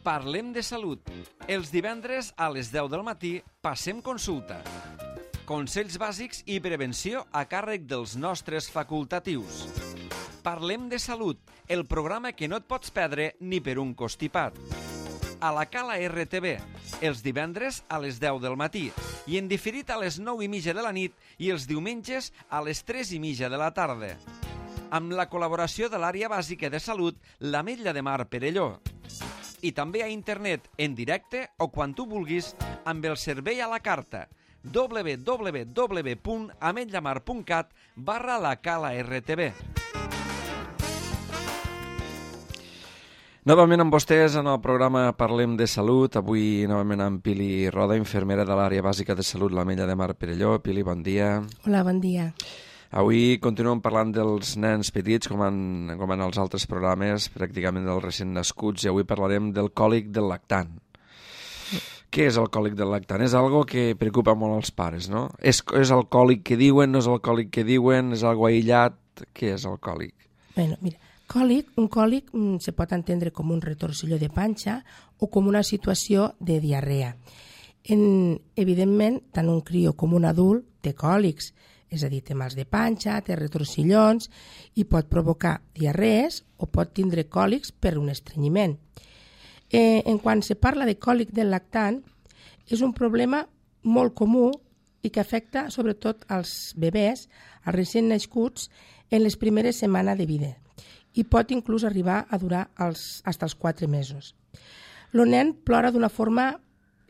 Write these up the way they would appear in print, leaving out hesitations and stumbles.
Parlem de salut. Els divendres a les 10 del matí passem consulta. Consells bàsics i prevenció a càrrec dels nostres facultatius. Parlem de salut, el programa que no et pots perdre ni per un constipat. A la Cala RTV, els divendres a les 10 del matí i en diferit a les 9:30 de la nit i els diumenges a les 3:30 de la tarda. Amb la col·laboració de l'àrea bàsica de salut, l'Ametlla de Mar Perelló. I també a internet, en directe o quan tu vulguis, amb el servei a la carta www.ametllamar.cat/la Cala RTV. Novament amb vostès en el programa Parlem de Salut. Avui novament amb Pili Roda, infermera de l'àrea bàsica de salut, l'Ametlla de Mar Perelló. Pili, bon dia. Hola, bon dia. Avui continuem parlant dels nens petits, com en els altres programes, pràcticament dels recent nascuts, i avui parlarem del còlic del lactant. Què és el còlic del lactant? És algo que preocupa molt als pares, no? És el còlic que diuen, no és el còlic que diuen, és algo aïllat? Què és el còlic? Bueno, mira, un còlic se pot entendre com un retorcilló de panxa o com una situació de diarrea. Evidentment, tant un crió com un adult té còlics, és a dir, té mals de panxa, té retorcillons i pot provocar diarrees o pot tindre còlics per un estrenyiment. En quan se parla de còlic del lactant, és un problema molt comú i que afecta sobretot als bebès, als recent nascuts, en les primeres setmanes de vida i pot inclús arribar a durar fins als 4 mesos. El nen plora d'una forma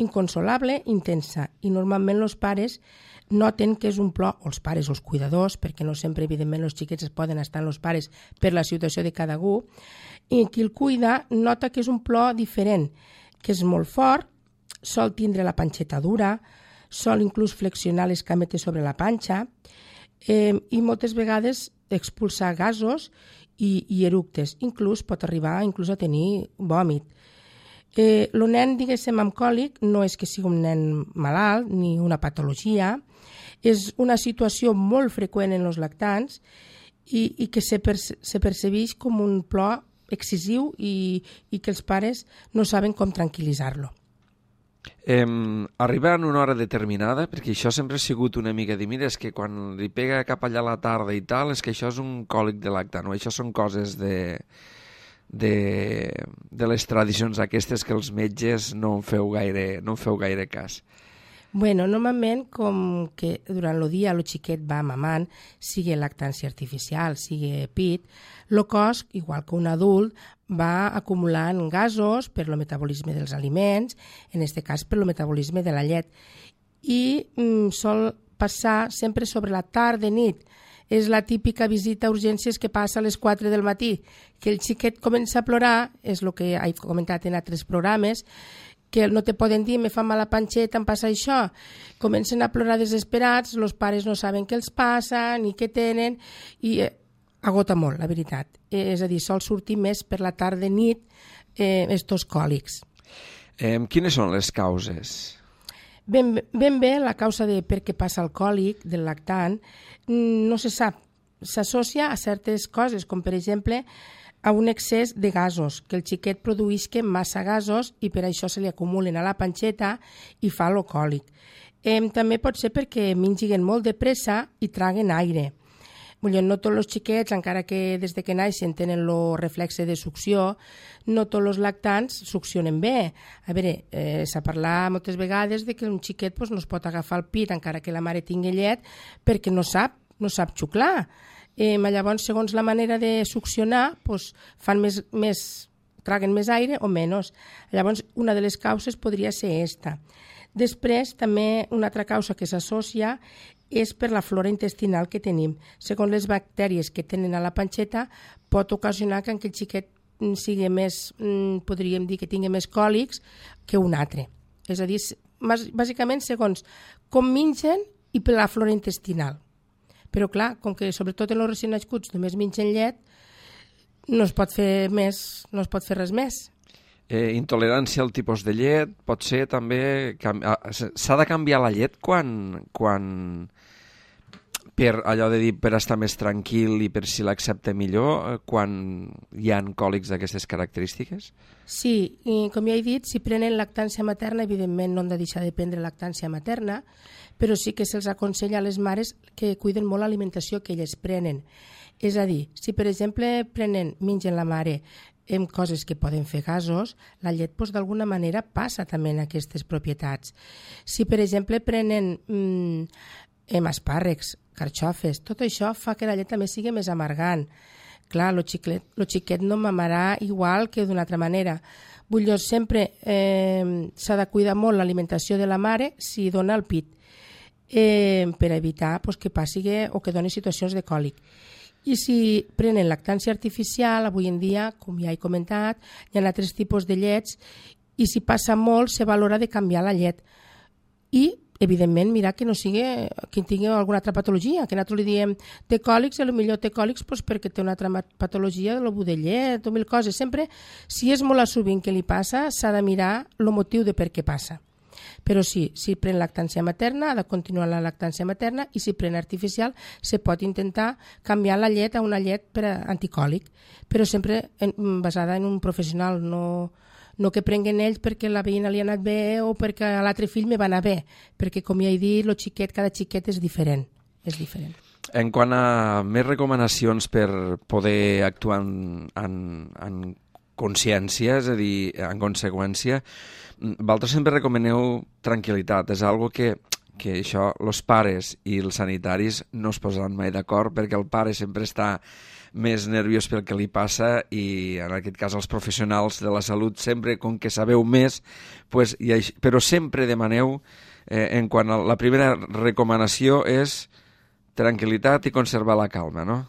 inconsolable, intensa, i normalment els pares noten que és un plor, o els pares o els cuidadors, perquè no sempre, evidentment, els xiquets es poden estar amb els pares per la situació de cada algú, i qui el cuida nota que és un plor diferent, que és molt fort, sol tindre la panxeta dura, sol inclús flexionar les cametes sobre la panxa, i moltes vegades expulsar gasos i eructes, inclús pot arribar a tenir vòmit. El nen, diguéssim, amb còlic no és que sigui un nen malalt ni una patologia, és una situació molt freqüent en els lactants i que se percebeix com un plor excessiu i que els pares no saben com tranquil·litzar-lo. Arriba en una hora determinada, perquè això sempre ha sigut una mica de mira, és que quan li pega cap allà a la tarda i tal, és que això és un còlic de lactant, o això són coses de les tradicions aquestes que els metges no en feu gaire cas. Bueno, normalment, com que durant el dia el xiquet va mamant, sigui lactància artificial, sigui pit, el cos, igual que un adult, va acumulant gasos per el metabolisme dels aliments, en aquest cas per el metabolisme de la llet, i sol passar sempre sobre la tarda i nit. És la típica visita a urgències que passa a les 4 del matí, que el xiquet comença a plorar, és el que he comentat en altres programes, que no te poden dir, me fa mal la panxeta, em passa això. Comencen a plorar desesperats, els pares no saben què els passa, ni què tenen, i agota molt, la veritat. És a dir, sol sortir més per la tarda i nit estos còlics. Quines són les causes? Ben bé, la causa de per què passa el còlic del lactant no se sap. S'associa a certes coses, com per exemple a un excés de gasos, que el xiquet produïsca massa gasos i per això se li acumulen a la panxeta i fa el còlic. També pot ser perquè mengin molt de pressa i traguen aire. No tots els xiquets, encara que des de que naixen tenen el reflexe de succió, no tots els lactants succionen bé. A veure, s'ha parlat moltes vegades de que un xiquet no es pot agafar el pit encara que la mare tingui llet perquè no sap xuclar. Llavors, segons la manera de succionar, traguen més aire o menys. Llavors, una de les causes podria ser aquesta. Després, també una altra causa que s'associa és per la flora intestinal que tenim. Segons les bactèries que tenen a la panxeta, pot ocasionar que el xiquet sigui més, podríem dir que tingui més còlics que un altre. És a dir, bàsicament segons com mengen i per la flora intestinal. Però clar, com que sobretot en els recent nascuts només mengen llet, no es pot fer res més. Intolerància al tipus de llet, pot ser també... S'ha de canviar la llet quan per allò de dir per estar més tranquil i per si l'accepta millor quan hi ha còlics d'aquestes característiques? Sí, i com ja he dit, si prenen lactància materna, evidentment no han de deixar de prendre lactància materna, però sí que se'ls aconsella a les mares que cuiden molt l'alimentació que elles prenen. És a dir, si per exemple mengen la mare amb coses que poden fer gasos, la llet d'alguna manera passa també en aquestes propietats. Si per exemple prenen espàrrecs, carxofes, tot això fa que la llet també sigui més amargant. Clar, lo xiquet no mamarà igual que d'una altra manera. Vull dir, sempre s'ha de cuidar molt l'alimentació de la mare si dona el pit, per evitar que passi o que doni situacions de còlic. I si prenen lactància artificial, avui en dia, com ja he comentat, hi ha altres tipus de llets i si passa molt, se valora de canviar la llet. I, evidentment, mirar que no sigui que tingui alguna altra patologia, que nosaltres li diem té còlics, potser té còlics perquè té una altra patologia de l'obú de llet o mil coses. Sempre, si és molt sovint que li passa, s'ha de mirar el motiu de per què passa. Però sí, si pren lactància materna, ha de continuar la lactància materna i si pren artificial, se pot intentar canviar la llet a una llet per anticòlic, però sempre basada en un professional, no que prenguen ells perquè la veïna li ha anat bé o perquè a l'altre fill me va anar bé, perquè com ja he dit, cada xiquet és diferent. En quant a més recomanacions per poder actuar en consciència, és a dir, en conseqüència, vosaltres sempre recomaneu tranquil·litat. És algo que això, els pares i els sanitaris no es posaran mai d'acord perquè el pare sempre està més nerviós pel que li passa i en aquest cas els professionals de la salut sempre, com que sabeu més, però sempre demaneu, en quant a la primera recomanació és tranquil·litat i conservar la calma, no?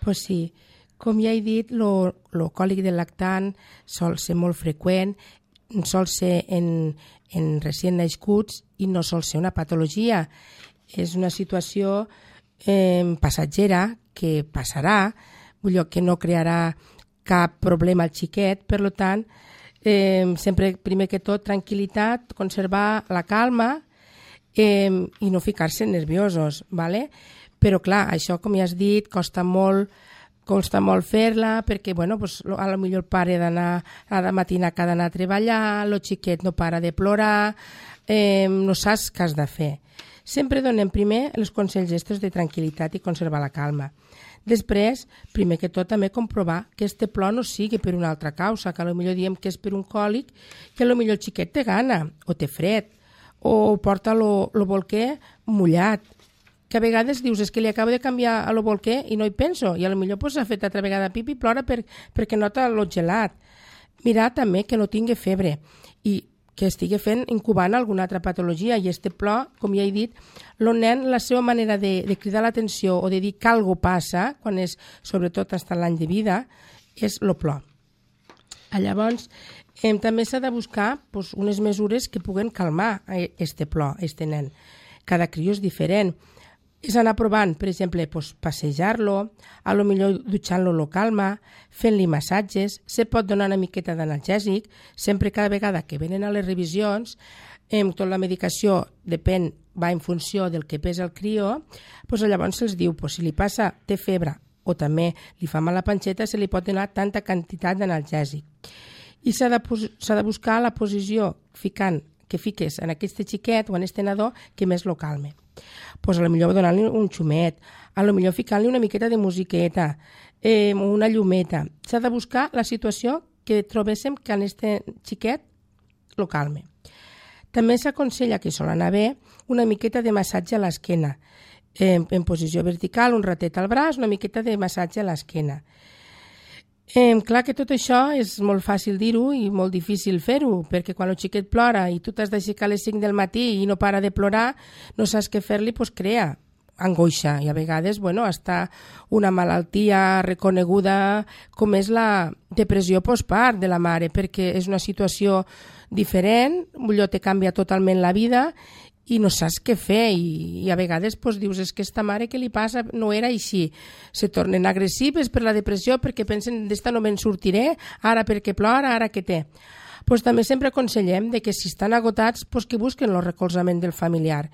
Pues sí. Com ja he dit, el còlic del lactant sol ser molt freqüent, sol ser en recient nascuts i no sol ser una patologia. És una situació passatgera que passarà, que no crearà cap problema al xiquet, per tant, sempre, primer que tot, tranquil·litat, conservar la calma i no ficar-se nerviosos, ¿vale? Però clar, això, com ja has dit, costa molt fer-la perquè, a lo millor el pare ha de matinar que ha d'anar a treballar, el xiquet no para de plorar, no saps què has de fer. Sempre donem primer els consells estos de tranquil·litat i conservar la calma. Després, primer que tot, també comprovar que este plor no sigui per una altra causa, que potser diem que és per un còlic, que potser el xiquet té gana, o té fred, o porta el bolquer mullat, que a vegades dius és que li acabo de canviar a lo bolquer i no hi penso, i potser s'ha fet altra vegada pipi i plora perquè nota lo gelat. Mirar també que no tingui febre i que estigui incubant alguna altra patologia, i este plor, com ja he dit, el nen, la seva manera de cridar l'atenció o de dir que alguna passa, quan és sobretot fins a l'any de vida, és el plor. Llavors, també s'ha de buscar unes mesures que puguen calmar este plor, este nen. Cada crió és diferent. És anar provant, per exemple, passejar-lo, a lo millor dutxant-lo lo calma, fent-li massatges, se pot donar una miqueta d'analgèsic, sempre cada vegada que venen a les revisions, tota la medicació va en funció del que pesa el crió, llavors se'ls diu, si li passa, té febre, o també li fa mal la panxeta, se li pot donar tanta quantitat d'analgèsic. I s'ha de buscar la posició que fiques en aquest xiquet o en aquest nadó que més lo calme. Potser donant-li un xumet, potser ficant-li una miqueta de musiqueta, una llumeta. S'ha de buscar la situació que trobéssim que en aquest xiquet lo calme. També s'aconsella, que sol anar bé, una miqueta de massatge a l'esquena, en posició vertical, un ratet al braç, una miqueta de massatge a l'esquena. Clar que tot això és molt fàcil dir-ho i molt difícil fer-ho, perquè quan el xiquet plora i tu t'has d'aixecar a les 5 del matí i no para de plorar, no saps què fer-li, crea angoixa, i a vegades, hasta una malaltia reconeguda com és la depressió postpart de la mare, perquè és una situació diferent, te canvia totalment la vida i no saps què fer, i a vegades dius, és que esta mare què li passa, no era així, se tornen agressives per la depressió perquè pensen, d'esta no me'n sortiré, ara perquè plora, ara què té. També sempre aconsellem que si estan agotats, que busquen el recolzament del familiar,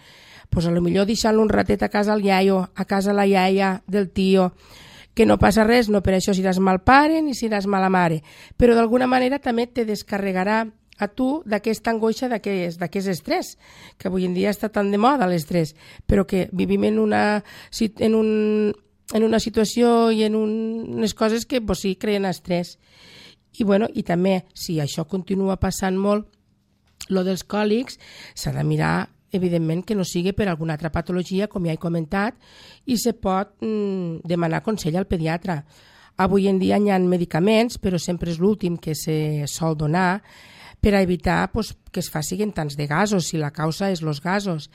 pues a lo millor deixant-lo un ratet a casa el iaio, a casa la iaia del tio, que no passa res, no per això seràs mal pare ni seràs mala mare, però d'alguna manera també te descarregarà a tu d'aquesta angoixa, d'aquest estrès, que avui en dia està tan de moda l'estrès, però que vivim en una situació i en unes coses que pues, sí, creen estrès. I, bueno, i també, si això continua passant molt, lo dels còlics, s'ha de mirar evidentment que no sigui per alguna altra patologia, com ja he comentat, i se pot demanar consell al pediatre. Avui en dia hi ha medicaments, però sempre és l'últim que se sol donar per a evitar pues, que es facin tants de gasos, si la causa és els gasos.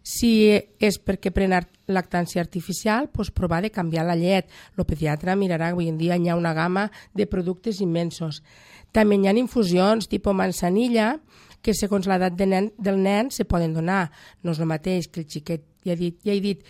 Si és perquè prenen lactància artificial, pues, provar de canviar la llet. El pediatre mirarà, avui en dia hi ha una gamma de productes immensos. També hi ha infusions tipus manzanilla, que segons l'edat del nen se poden donar. No és el mateix que el xiquet, ja he dit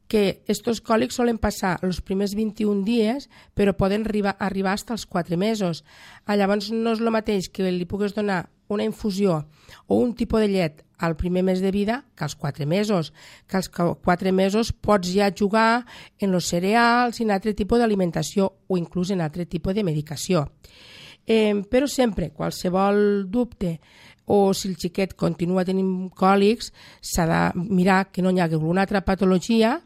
que estos còlics solen passar els primers 21 dies, però poden arribar fins als 4 mesos. Llavors no és el mateix que li puguis donar una infusió o un tipus de llet al primer mes de vida que als 4 mesos. Que als 4 mesos pots ja jugar en els cereals i en altre tipus d'alimentació o inclús en altre tipus de medicació. Però sempre, qualsevol dubte o si el xiquet continua tenint còlics, s'ha de mirar que no hi hagi alguna altra patologia,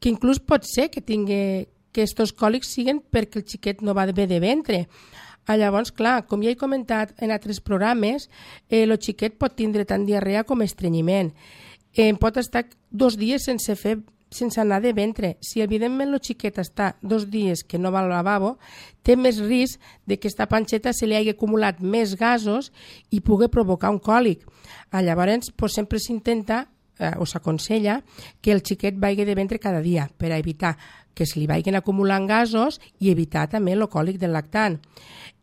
que inclús pot ser que tingui que aquests còlics siguin perquè el xiquet no va bé de ventre. Llavors, clar, com ja he comentat en altres programes, el xiquet pot tindre tant diarrea com estrenyiment. Pot estar 2 dies sense anar de ventre. Si evidentment el xiquet està 2 dies que no va al lavabo, té més risc de que aquesta panxeta se li hagi acumulat més gasos i pugui provocar un còlic. Llavors, sempre s'intenta o s'aconsella que el xiquet vagi de ventre cada dia per a evitar que se li vagin acumulant gasos i evitar també el còlic del lactant.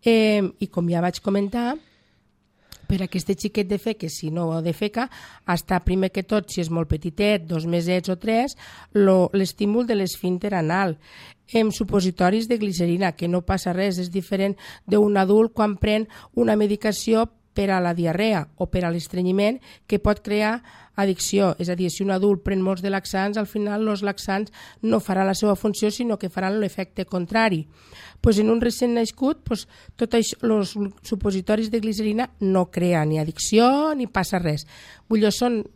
I com ja vaig comentar, per a aquest xiquet de feca, si no defeca, està primer que tot, si és molt petitet, 2 mesets o 3, l'estímul de l'esfínter anal. Supositoris de glicerina, que no passa res, és diferent d'un adult quan pren una medicació per a la diarrea o per a l'estrenyiment que pot crear addicció. És a dir, si un adult pren molts de laxants, al final els laxants no faran la seva funció, sinó que faran l'efecte contrari. En un recent nascut, tots els supositoris de glicerina no creen ni addicció ni passa res. Són,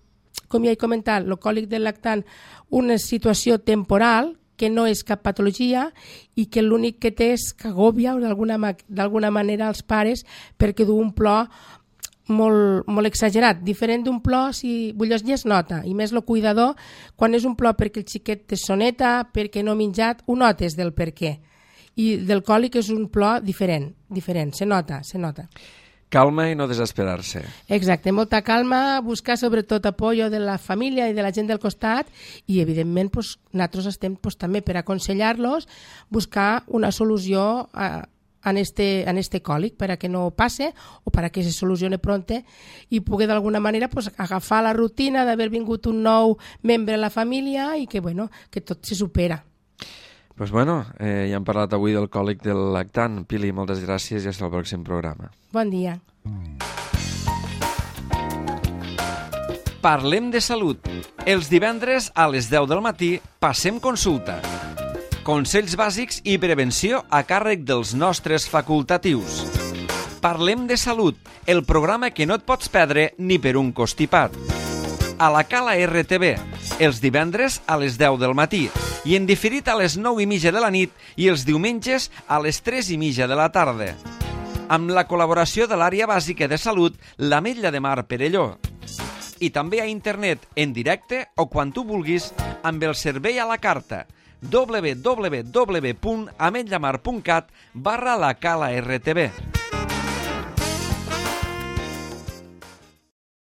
com ja he comentat, el còlic del lactant, una situació temporal que no és cap patologia i que l'únic que té és que agòbia d'alguna manera als pares perquè du un plor molt exagerat, diferent d'un plor ja es nota, i més el cuidador, quan és un plor perquè el xiquet té soneta, perquè no ha menjat, ho notes del per què. I del còlic és un plor diferent, se nota. Calma i no desesperar-se. Exacte, molta calma, buscar sobretot apoyo de la família i de la gent del costat i, evidentment, nosaltres estem també per aconsellar-los buscar una solució en este còlic per a que no passe o per a que se solucione pronte i pugui d'alguna manera agafar la rutina d'haver vingut un nou membre a la família i que tot se supera. Ja hem parlat avui del còlic del lactant. Pili, moltes gràcies i fins al pròxim programa. Bon dia. Parlem de salut. Els divendres a les 10 del matí passem consulta. Consells bàsics i prevenció a càrrec dels nostres facultatius. Parlem de salut, el programa que no et pots perdre ni per un costipat. A la Cala RTV, els divendres a les 10 del matí i en diferit a les 9:30 de la nit i els diumenges a les 3:30 de la tarda. Amb la col·laboració de l'Àrea Bàsica de Salut, l'Ametlla de Mar Perelló. I també a internet, en directe o quan tu vulguis, amb el servei a la carta www.ametllamar.cat/la Cala RTV.